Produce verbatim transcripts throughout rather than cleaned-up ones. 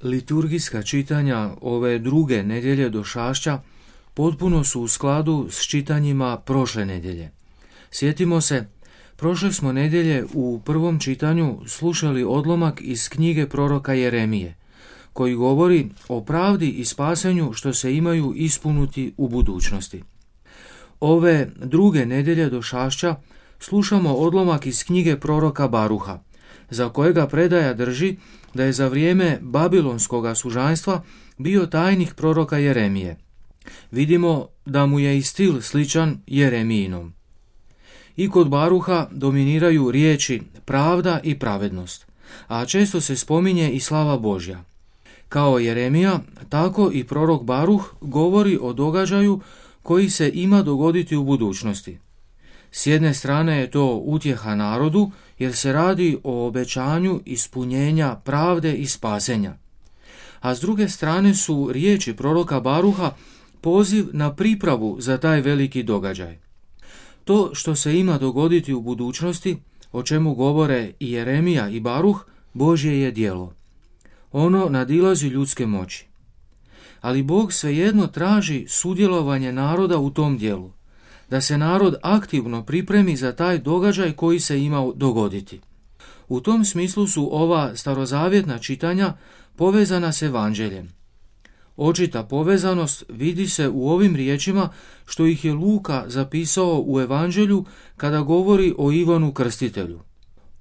Liturgijska čitanja ove druge nedjelje Došašća potpuno su u skladu s čitanjima prošle nedjelje. Sjetimo se, prošle smo nedjelje u prvom čitanju slušali odlomak iz knjige proroka Jeremije, koji govori o pravdi i spasenju što se imaju ispuniti u budućnosti. Ove druge nedjelje Došašća slušamo odlomak iz knjige proroka Baruha, za kojega predaja drži da je za vrijeme babilonskoga sužanjstva bio tajnik proroka Jeremije. Vidimo da mu je i stil sličan Jeremijinom. I kod Baruha dominiraju riječi pravda i pravednost, a često se spominje i slava Božja. Kao Jeremija, tako i prorok Baruh govori o događaju koji se ima dogoditi u budućnosti. S jedne strane je to utjeha narodu, jer se radi o obećanju ispunjenja pravde i spasenja. A s druge strane su riječi proroka Baruha poziv na pripravu za taj veliki događaj. To što se ima dogoditi u budućnosti, o čemu govore i Jeremija i Baruh, Božje je djelo. Ono nadilazi ljudske moći. Ali Bog svejedno traži sudjelovanje naroda u tom djelu, da se narod aktivno pripremi za taj događaj koji se ima dogoditi. U tom smislu su ova starozavjetna čitanja povezana s evanđeljem. Očita povezanost vidi se u ovim riječima što ih je Luka zapisao u evanđelju kada govori o Ivanu Krstitelju.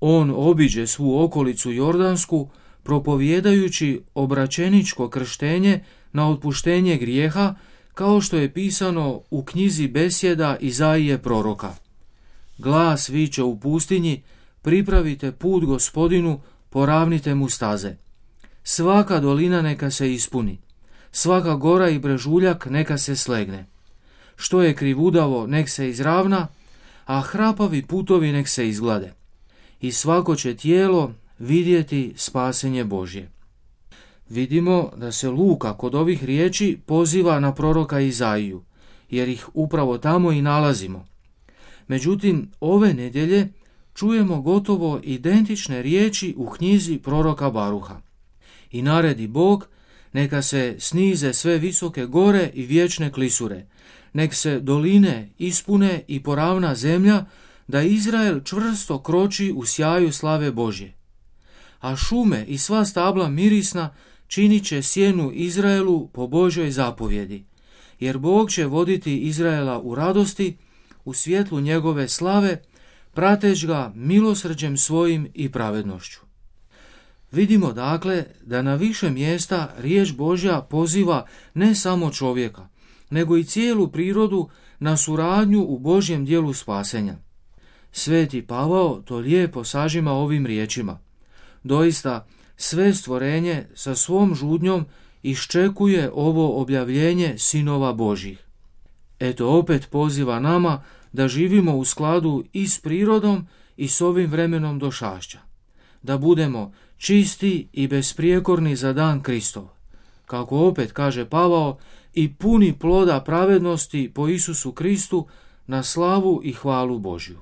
On obiđe svu okolicu Jordansku propovjedajući obraćeničko krštenje na otpuštenje grijeha, kao što je pisano u knjizi besjeda Izaije proroka. Glas viče u pustinji, pripravite put Gospodinu, poravnite mu staze. Svaka dolina neka se ispuni, svaka gora i brežuljak neka se slegne. Što je krivudavo nek se izravna, a hrapavi putovi nek se izglade. I svako će tijelo vidjeti spasenje Božje. Vidimo da se Luka kod ovih riječi poziva na proroka Izaiju, jer ih upravo tamo i nalazimo. Međutim, ove nedjelje čujemo gotovo identične riječi u knjizi proroka Baruha. I naredi Bog, neka se snize sve visoke gore i vječne klisure, nek se doline ispune i poravna zemlja, da Izrael čvrsto kroči u sjaju slave Božje. A šume i sva stabla mirisna činit će sjenu Izraelu po Božjoj zapovjedi, jer Bog će voditi Izraela u radosti, u svjetlu njegove slave, prateć ga milosrđem svojim i pravednošću. Vidimo dakle da na više mjesta riječ Božja poziva ne samo čovjeka, nego i cijelu prirodu na suradnju u Božjem djelu spasenja. Sveti Pavao to lijepo sažima ovim riječima. Doista, sve stvorenje sa svom žudnjom iščekuje ovo objavljenje sinova Božjih. Eto opet poziva nama da živimo u skladu i s prirodom i s ovim vremenom Došašća. Da budemo čisti i besprijekorni za dan Kristov. Kako opet kaže Pavao, i puni ploda pravednosti po Isusu Kristu na slavu i hvalu Božju.